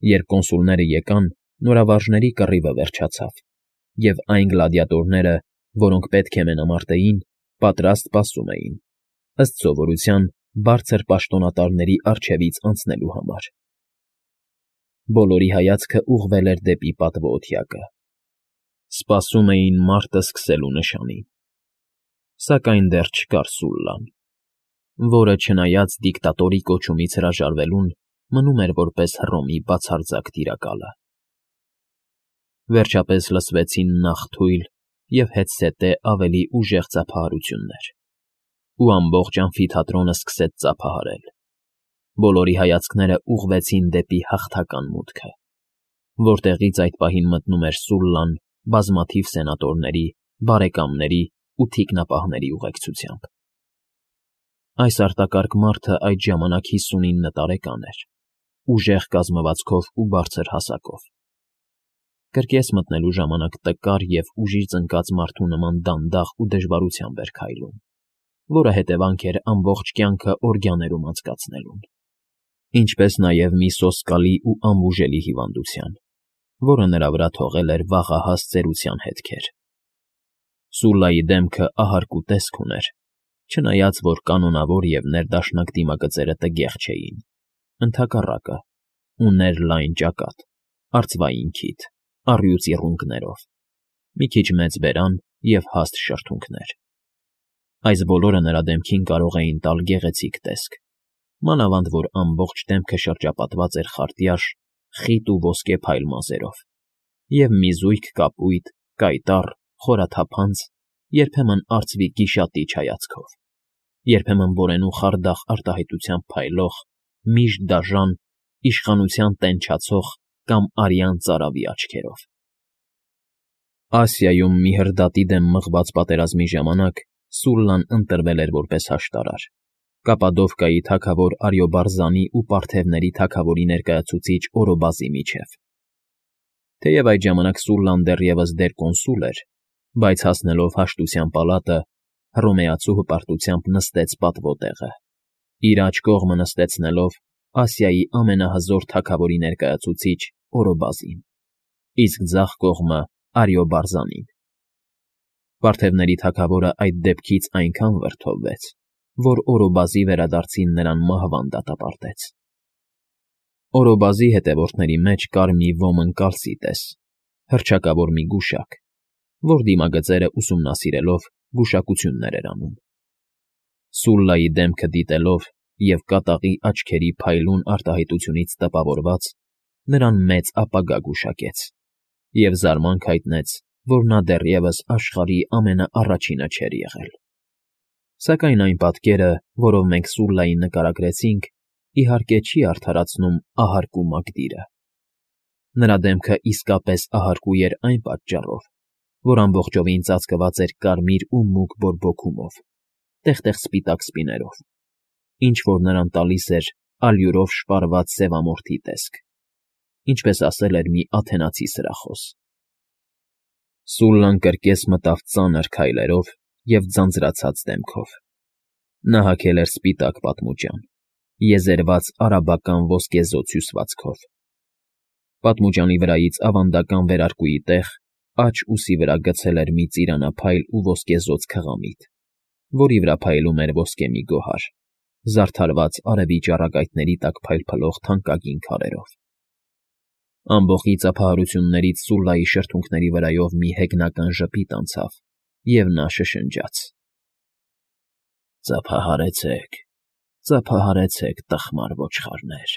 Երբ կոնսուլները եկան, նորավարժների կռիվը վերջացավ, և այն գլադիատորները, որոնք պետք է մենամարտեին, պատրաստ սպասում էին, ըստ սովորության, բարձր պաշտոնատարների առջևից անցնելու համար։ Բոլորի հայացքը ուղղվել էր դեպի պատվոօթյակը. սպասում էին մարտը սկսելու նշանին։ Սակայն դեռ չկար Սուլլան, որը, չնայած դիկտատորի կոչումից հրաժարվելուն, մնում էր որպես Հռոմի բացարձակ տիրակալը։ Վերջապես լսվեցին նախ թույլ և հետզհետե ավելի ուժեղ ծափահարություններ, ու ամբողջ ամֆիթատրոնը սկսեց ծափահարել։ Բոլորի հայացքները ուղղվեցին դեպի հաղթական մուտքը, որտեղից այդ պահին մտնում էր Սուլլան բազմաթիվ սենատորների, բարեկամների ու թիկնապահների ուղեկցությամբ։ Այս արտակարգ մարդը այդ ժամանակ 59 տարեկան էր, ուժեղ կազմվածքով ու բարձր հասակով։ Կրկես մտնելու ժամանակ տկար և ուժի ծնկած մարդու նման դանդաղ ու դժվարությամբ էր քայլում, որը հետևանք էր ամբողջ կյանքը օրգյաներում անցկացնելուն, ինչպես նաև մի սոսկալի ու անբուժելի հիվանդության, որը նրա վրա թողել էր վաղահաս ծերության հետքեր։ Սուլլայի դեմքը ահարկ ու տեսք ուներ, չնայած որ կանոնավոր և ներդաշնակ դիմագծերը տգեղ չէին, ընդհակառակը, ուներ լայն ճակատ, արծվային քիթ, առյուծ իռունգներով, մի քիչ մեծ բերան և հաստ շրթունքներ։ Այս բոլորը նրա դեմքին կարող էին տալ գեղեցիկ տեսք, մանավանդ որ ամբողջ դեմքը շրջապատված էր խարտյաշ, խիտ ու ոսկե փայլ մազերով, և մի զույգ կապույտ, կայտառ, խորաթափանց, երբեմն արծվի գիշատիչ հայացքով, երբեմն որենու խարդախ արտահայտությամբ փայլող, միշտ դաժան, իշխանության տենչացող կամ արյան ծարավի աչքերով։ Ասիայում մի հրդատի դեմ մղված պատերազմի ժամանակ Սուլլան ընտրվել էր որպես աշտարար, Կապադովկայի թագավոր Արիոբարզանի ու պարթևների թագավորի ներկայացուցիչ Օրոբազի միջև։ Թեև այդ ժամանակ Սուլլան դեռևս դեր-կոնսուլ էր, բայց հասնելով հաշտության պալատը, հռոմեացու հպարտությամբ նստեց պատվոտեղը, իր աջ կողմը նստեցնելով Ասիայի ամենահզոր թագավորի ներկայացուցիչ Օրոբազին, իսկ ձախ կողմը Արիոբարզանին։ Պարթևների թագավորը այդ դեպքից այնքան վրդովվեց, որ Օրոբազի վերադարձին նրան մահվան դատապարտեց։ Օրոբազի հետևորդների մեջ կար մի ոմն կալսիտես, հռչակավոր մի գուշակ, որ դիմագծերը ուսումնասիրելով գուշակություններ էր անում։ Սուլլայի դեմքը դիտելով և կատաղի աչքերի փայլուն արտահայտությունից տպավորված, նրան մեծ ապագա գուշակեց և զարմանք հայտնեց, որ նա դեռևս աշխարհի ամենաառաջինը չէր եղել։ Սակայն այն պատկերը, որով մենք Սուլլային նկարագրեցինք, իհարկե չի արդարացնում ահարկու մակդիրը։ Նրա դեմքը իսկապես ահարկու էր այն պատճառով, որ ամբողջովին ծածկված էր կարմիր ու մուգ բորբոքումով, տեղ֊տեղ սպիտակ սպիներով, ինչ֊որ նրան տալիս էր ալյուրով շպարված սևամորթի տեսք, ինչպես ասել էր մի աթենացի սրախոս։ Սուլլան կրկես մտավ ծանր քայլերով և ձանձրացած դեմքով։ Նա հագել էր սպիտակ պատմուջան, եզերված արաբական ոսկեզօծ հյուսվածքով։ Պատմուջանի վրայից ավանդական վերարկուի տեղ աջ ուսի վրա գցել էր մի ծիրանափայլ ու ոսկեզօծ քղամիտ, որի վրա փայլում էր ոսկե մի գոհար, զարդարված արևի ճառագայթների տակ փայլփլող թանկագին քարերով։ Ամբոխի ծափահարություններից Սուլլայի շրթունքների վրայով մի հեգնական ժպիտ անցավ, և նա շշնջաց. «Ծափահարեցեք, ծափահարեցեք, տխմար ոչխարներ»։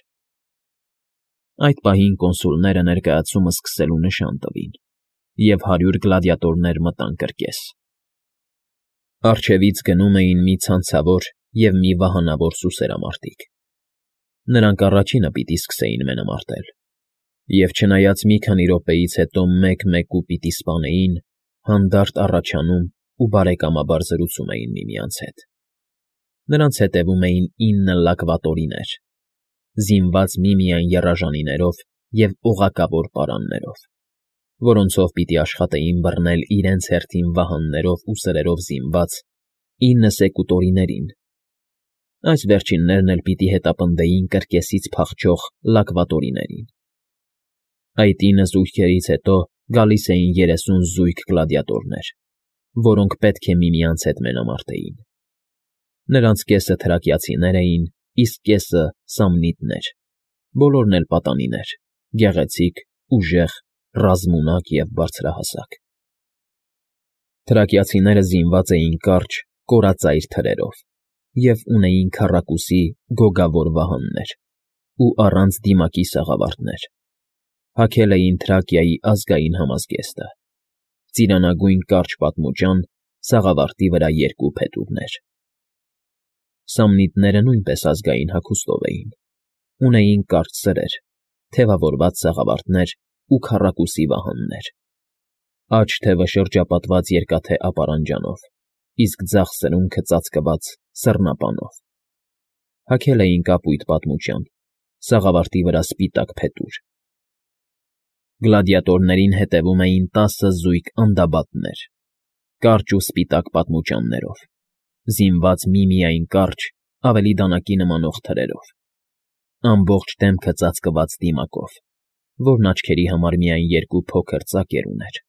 Այդ պահին կոնսուլները ներկայացումը սկսելու նշան տվին, և 100 գլադիատորներ մտան կրկես։ Առջևից գնում էին մի ցանցավոր և մի վահանավոր սուսերամարտիկ։ Նրանք առաջինը պիտի սկսեին մենամարտել, և չնայած մի քանի րոպեից հետո մեկ֊մեկու պիտի սպանեին, հանդարտ առաջանում ու բարեկամաբար զրուցում էին միմյանց հետ։ Նրանց հետևում էին 9 լակվատորիներ, զինված միմիայն եռաժանիներով և օղակավոր պարաններով, որոնցով պիտի աշխատեին բռնել իրենց հերթին վահաններով ու սրերով զինված 9 սեկուտորիներին։ Այս վերջիններն էլ պիտի հետապնդեին կրկեսից փախչող լակվատորիներին, Այդ 9 զույգերից հետո գալիս էին 30 զույգ գլադիատորներ, որոնք պետք է միմյանց հետ մենամարտեին։ Նրանց կեսը թրակիացիներ էին, իսկ կեսը՝ սամնիտներ, բոլորն էլ պատանիներ, գեղեցիկ, ուժեղ, ռազմունակ և բարձրահասակ։ Թրակիացիները զինված էին կարճ, կորածայր թրերով և ունեին քառակուսի գոգավոր վահաններ ու առանց դիմակի սաղավարտներ։ Հագել էին Թրակիայի ազգային համազգեստը՝ ծիրանագույն կարճ պատմուջան, սաղավարտի վրա 2 փետուրներ։ Սամնիտները նույնպես ազգային հագուստով էին, ունեին կարճ սրեր, թևավորված սաղավարտներ ու քառակուսի վահաններ։ Աջ թևը շրջապատված երկաթե ապարանջանով, իսկ ձախ սրունքը ծածկված սռնապանով։ Հագել էին կապույտ պատմուջան, սաղավարտի վրա սպիտակ փետուր։ Գլադիատորներին հետևում էին 10 զույգ անդաբատներ, կարճ ու սպիտակ պատմուջաններով, զինված միմիայն կարճ, ավելի դանակի նմանող թրերով, ամբողջ դեմքը ծածկված դիմակով, որն աչքերի համար միայն 2 փոքր ծակեր ուներ։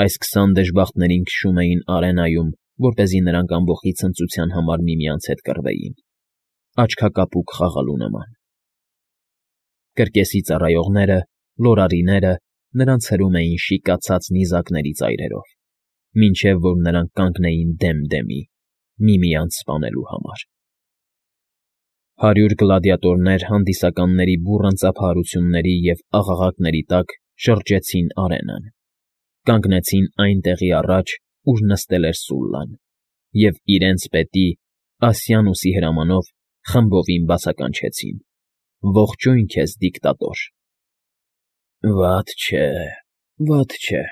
Այս 20 դժբախտներին քշում էին արենայում, որպեսզի նրանք ամբոխի ցնծության համար միմյանց հետ կռվեին, աչքակապուկ խաղալու նման։ Կրկեսի ծառայողները, լորարիները նրանց հրում էին շիկացած նիզակների ծայրերով, մինչև որ նրանք կանգնեին դեմ դեմի, միմյանց սպանելու համար։ 100 գլադիատորներ հանդիսականների բուռն ծափահարությունների և աղաղակների տակ շրջեցին արենան, կանգնեցին այն տեղի առաջ, ուր նստել էր Սուլլան, և իրենց պետի՝ Ասիանուսի հրամանով խմբովին բացականչեցին. «Ողջույն քեզ, դիկտատոր»։ «Վատ չէ, վատ չէ»,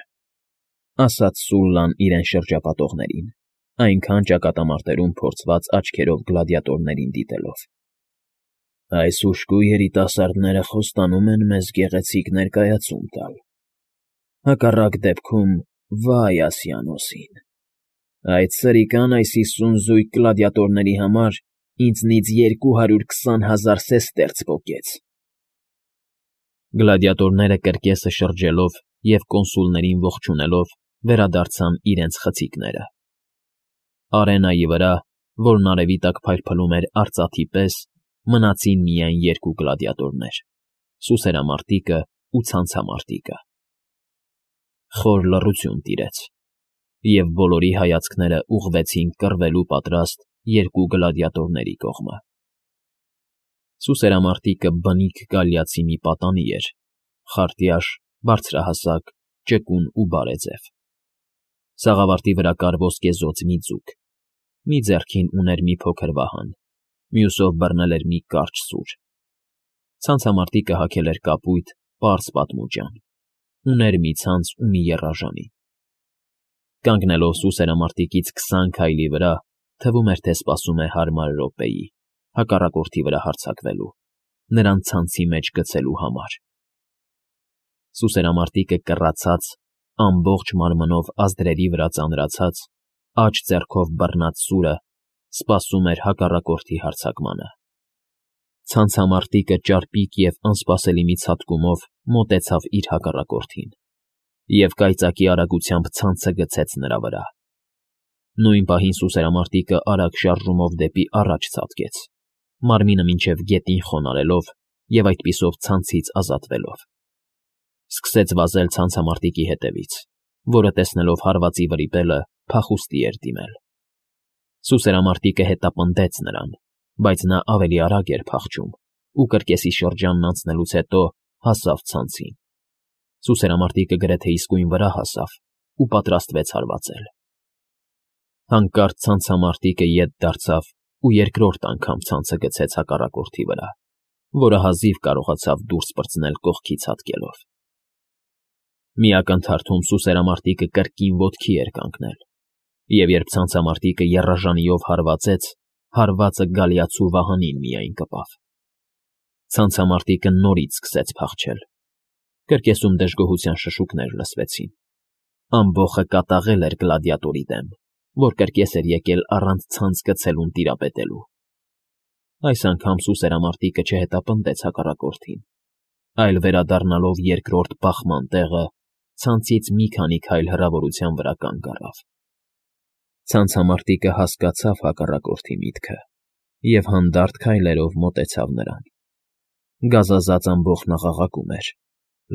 ասաց Սուլլան իրեն շրջապատողներին, այնքան ճակատամարտերում փորձված աչքերով գլադիատորներին դիտելով։ «Այս ուշքու երիտասարդները խոստանում են մեզ գեղեցիկ ներկայացում տալ։ Հակառակ դեպքում վա՜յ Ասիանոսին։ Այդ սրիկան այս 50 զույգ գլադիատորների համար ինձնից 220,000 սեստերց պոկեց»։ Գլադիատորները կրկեսը շրջելով և կոնսուլներին ողջունելով վերադարձան իրենց խցիկները։ Արենայի վրա, որն արևի տակ փայլփլում էր արծաթի պես, մնացին միայն 2 գլադիատորներ՝ սուսերամարտիկը ու ցանցամարտիկը։ Խոր լռություն տիրեց, և բոլորի հայացքները ուղղվեցին կռվելու պատրաստ 2 գլադիատորների կողմը։ Սուսերամարտիկը բնիկ գալիացի մի պատանի էր, խարտյաշ, բարձրահասակ, ճկուն ու բարեձև։ Սաղավարտի վրա կար ոսկեզօծ մի ձուկ, մի ձեռքին ուներ մի փոքր վահան, մյուսով բռնել էր մի կարճ սուր։ Ցանցամարտիկը հագել էր կապույտ, պարզ պատմուջան, ուներ մի ցանց ու մի եռաժանի։ Կանգնելով սուսերամարտիկից 20 քայլի վրա, թվում էր, թե սպասում է հարմար րոպեի, հակառակորդի վրա հարձակվելու, նրան ցանցի մեջ գցելու համար։ Սուսերամարտիկը կռացած, ամբողջ մարմնով ազդրերի վրա ծանրացած, աջ ձեռքով բռնած սուրը սպասում էր հակառակորդի հարձակմանը։ Ցանցամարտիկը ճարպիկ և անսպասելի մի ցատկումով մոտեցավ իր հակառակորդին և կայծակի արագությամբ ցանցը գցեց նրա վրա։ Նույն պահին սուսերամարտիկը արագ շարժումով դեպի առաջ ցատկեց, մարմինը մինչև գետին խոնարհելով և այդպիսով ցանցից ազատվելով։ Սկսեց վազել ցանցամարտիկի հետևից, որը տեսնելով հարվածի վրիպելը փախուստի էր դիմել։ Սուսերամարտիկը հետապնդեց նրան, բայց նա ավելի արագ էր փախչում ու կրկեսի շրջանն անցնելուց հետո հասավ ցանցին։ Սուսերամարտիկը գրեթե իսկույն վրա հասավ ու պատրաստվեց հարվածել։ Հանկարծ ցանցամարտիկը ետ դարձավ ու երկրորդ անգամ ցանցը գցեց հակառակորդի վրա, որը հազիվ կարողացավ դուրս պրծնել կողքի ցատկելով։ Մի ակնթարթում սուսերամարտիկը կրկին ոտքի էր կանգնել, և երբ ցանցամարտիկը եռաժանիով հարվածեց, հարվածը գալիացու վահանին միայն կպավ։ Ցանցամարտիկը նորից սկսեց փախչել։ Կրկեսում դժգոհության շշուկներ լսվեցին։ Ամբոխը կատաղել էր գլադիատորի դեմ, որ կրկես էր եկել առանց ցանց գցելուն տիրապետելու։ Այս անգամ սուսերամարտիկը չհետապնդեց հակառակորդին, այլ վերադառնալով երկրորդ բախման տեղը, ցանցից մի քանի քայլ հեռավորության վրա կանգ առավ։ Ցանցամարտիկը հասկացավ հակառակորդի միտքը և հանդարտ քայլերով մոտեցավ նրան։ Գազազած ամբոխն աղաղակում էր.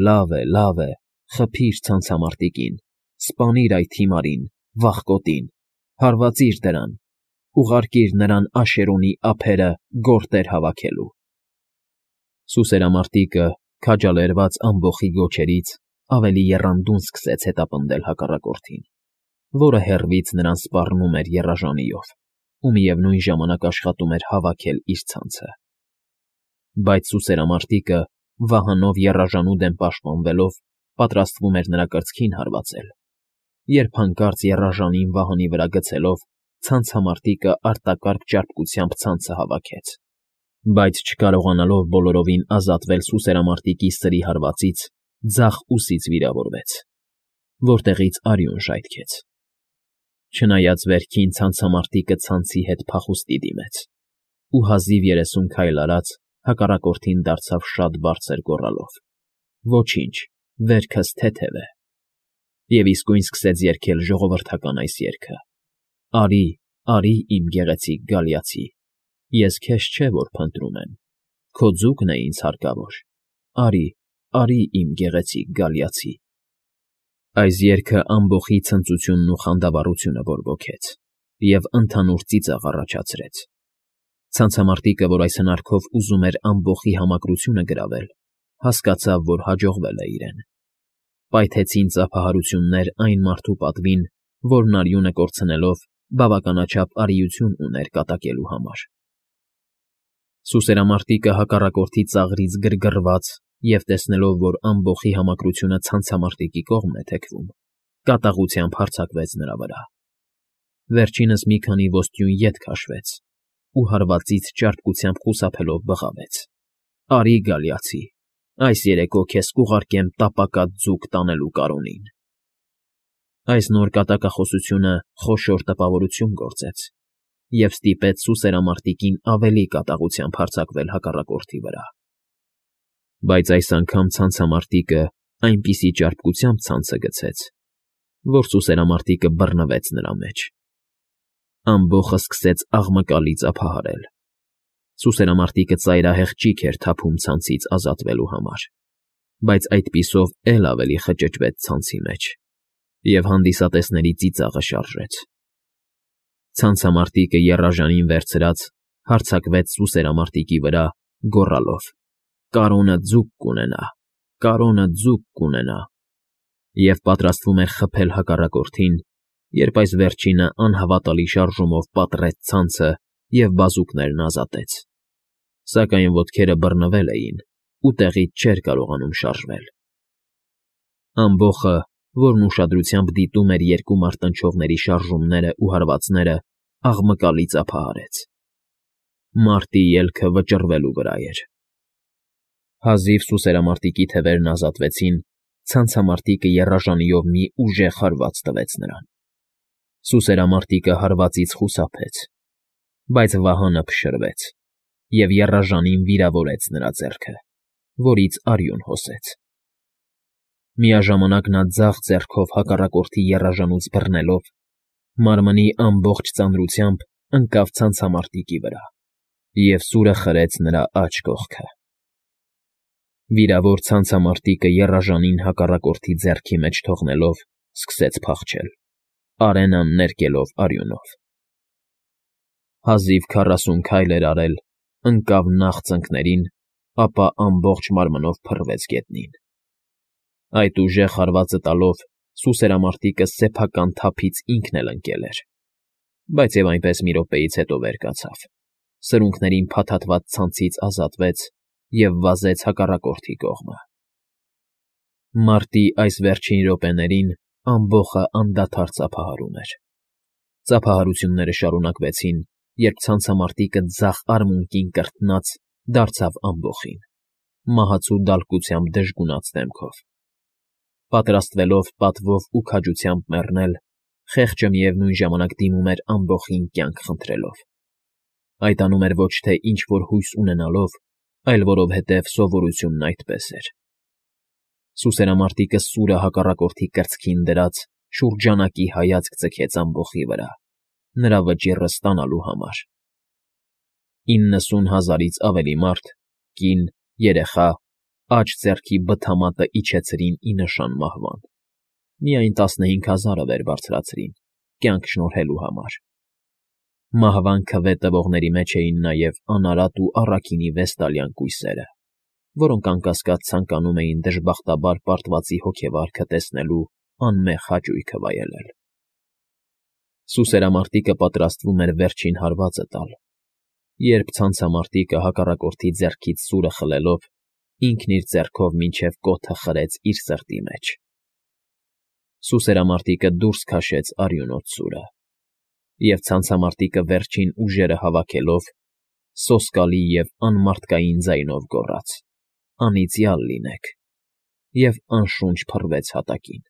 լավ է, խփիր ցանցամարտիկին, սպանիր այդ հիմարին, վախկոտին, հարվածիր դրան, ուղարկիր նրան Աշերոնի ափերը գորտեր հավաքելու։ Սուսերամարտիկը, քաջալերված ամբոխի գոչերից, ավելի եռանդուն սկսեց հետապնդել հակառակորդին, որը հեռվից նրան սպառնում էր եռաժանիով ու միևնույն ժամանակ աշխատում էր հավաքել իր ցանցը։ Բայց սուսերամարտիկը, վահանով եռաժանու դեմ պաշտպանվելով, պատրաստվում էր նրա կրծքին հարվածել, երբ հանկարծ եռաժանին վահանի վրա գցելով, ցանցամարտիկը արտակարգ ճարպկությամբ ցանցը հավաքեց, բայց չկարողանալով բոլորովին ազատվել սուսերամարտիկի սրի հարվածից, ձախ ուսից վիրավորվեց, որտեղից արյուն ժայթքեց։ Չնայած վերքին ցանցամարտիկը ցանցի հետ փախուստի դիմեց ու հազիվ 30 քայլ արած հակառակորդին դարձավ շատ բարձր գոռալով. «Ոչինչ, վերքս թեթև է», և իսկույն սկսեց երգել ժողովրդական այս երգը. «Արի, արի, իմ գեղեցիկ գալիացի, ես քեզ չէ որ փնտրում եմ, քո ձուկն է ինձ հարկավոր, արի, արի, իմ գեղեցիկ գալիացի»։ Այս երգը ամբոխի ցնծությունն ու խանդավառությունը բորբոքեց և ընդհանուր ծիծաղ առաջացրեց։ Ցանցամարտիկը, որ այս հնարքով ուզում էր ամբոխի համակրությունը գրավել, հասկացավ, որ հաջողվել է իրեն։ Պայթեցին ծափահարություններ այն մարդու պատվին, որն արյունը կորցնելով բավականաչափ արիություն ուներ կատակելու համար։ Սուսերամարտիկը հակառակորդի ծաղրից գրգռված և տեսնելով, որ ամբոխի համակրությունը ցանցամարտիկի կողմն է թեքվում, կատաղությամբ հարձակվեց նրա վրա։ Վերջինս մի քանի ոստյուն ետ քաշվեց ու հարվածից ճարպկությամբ խուսափելով բղավեց. «Արի, գալիացի, այս երեկո քեզ կուղարկեմ տապակած ձուկ տանելու կարունին»։ Այս նոր կատակախոսությունը խոշոր տպավորություն գործեց և ստիպեց սուսերամարտիկին ավելի կատաղությամբ հարձակվել հակառակորդի վրա։ Բայց այս անգամ ցանցամարտիկը այնպիսի ճարպկությամբ ցանցը գցեց, որ սուսերամարտիկը բռնվեց նրա մեջ։ Ամբոխը սկսեց աղմկալի ծափահարել։ Սուսերամարտիկը ծայրահեղ ճիգ էր թափում ցանցից ազատվելու համար, բայց այդպիսով էլ ավելի խճճվեց ցանցի մեջ և հանդիսատեսների ծիծաղը շարժեց։ Ցանցամարտիկը եռաժանին վերցրած հարձակվեց սուսերամարտիկի վրա, գոռալով. «Կարոնը ձուկ կունենա, կարոնը ձուկ կունենա», և պատրաստվում էր խփել հակառակորդին, երբ այս վերջինը անհավատալի շարժումով պատռեց ցանցը և բազուկներն ազատեց։ Սակայն ոտքերը բռնվել էին ու տեղից չէր կարողանում շարժվել։ Ամբոխը, որն ուշադրությամբ դիտում էր երկու մարտնչողների շարժումներն ու հարվածները, աղմկալի ծափահարեց։ Մարտի ելքը վճռվելու վրա էր։ Հազիվ սուսերամարտիկի թևերն ազատվեցին, ցանցամարտիկը եռաժանիով մի ուժեղ հարված տվեց նրան։ Սուսերամարտիկը հարվածից խուսափեց, բայց վահանը փշրվեց և եռաժանին վիրավորեց նրա ձեռքը, որից արյուն հոսեց։ Միաժամանակ նա ձախ ձեռքով հակառակորդի եռաժանուց բռնելով, մարմնի ամբողջ ծանրությամբ ընկավ ցանցամարտիկի վրա և սուրը խրեց նրա աջ կողքը։ Վիրավոր ցանցամարտիկը եռաժանին հակառակորդի ձեռքի մեջ թողնելով, սկսեց փախչել, արենան ներկելով արյունով։ Հազիվ 40 քայլ էր արել, ընկավ նախ ծնկներին, ապա ամբողջ մարմնով փռվեց գետնին։ Այդ ուժեղ հարվածը տալով, սուսերամարտիկը սեփական թափից ինքն էլ ընկել էր, բայց և այնպես մի րոպեից հետո վեր կացավ, սրունքներին փաթաթված ցանցից ազատվեց և վազեց հակառակորդի կողմը։ Մարտի այս վերջին րոպեներին ամբոխը անդադար ծափահարում էր։ Ծափահարությունները շարունակվեցին, երբ ցանցամարտիկը ձախ արմունկին կրտնած դարձավ ամբոխին, մահացու դալկությամբ դժգունած դեմքով։ Պատրաստվելով պատվով ու քաջությամբ մեռնել, խեղճը միևնույն ժամանակ դիմում էր ամբոխին կյանք խնդրելով։ Այդ անում էր ոչ թե ինչ֊որ հույս ունենալով, այլ որովհետև սովորությունն այդպես էր։ Սուսերամարտիկը սուրը հակառակորդի կրծքին դրած շուրջանակի հայացք ձգեց ամբոխի վրա, նրա վճիռը ստանալու համար։ 90,000-ից ավելի մարդ, կին, երեխա, աջ ձեռքի բթամատը իջեցրին ի նշան մահվան, միայն 15,000-ը վեր բարձրացրին, կյանք շնորհելու համար։ Մահվան քվե տվողների մեջ էին նաև անարատ ու առաքինի վեստալյան կույսերը, որոնք անկասկած ցանկանում էին դժբախտաբար պարտվածի հոգեվարքը տեսնելու անմեղ հաճույքը վայելել։ Սուսերամարտիկը պատրաստվում էր վերջին հարվածը տալ, երբ ցանցամարտիկը հակառակորդի ձեռքից սուրը խլելով ինքն իր ձեռքով մինչև կոթը խրեց իր սրտի մեջ։ Սուսերամարտիկը դուրս քաշեց արյունոտ սուրը, և ցանցամարտիկը վերջին ուժերը հավաքելով սոսկալի և անմարդկային ձայնով գոռաց. «Անիծյալ լինեք» և անշունչ փռվեց հատակին։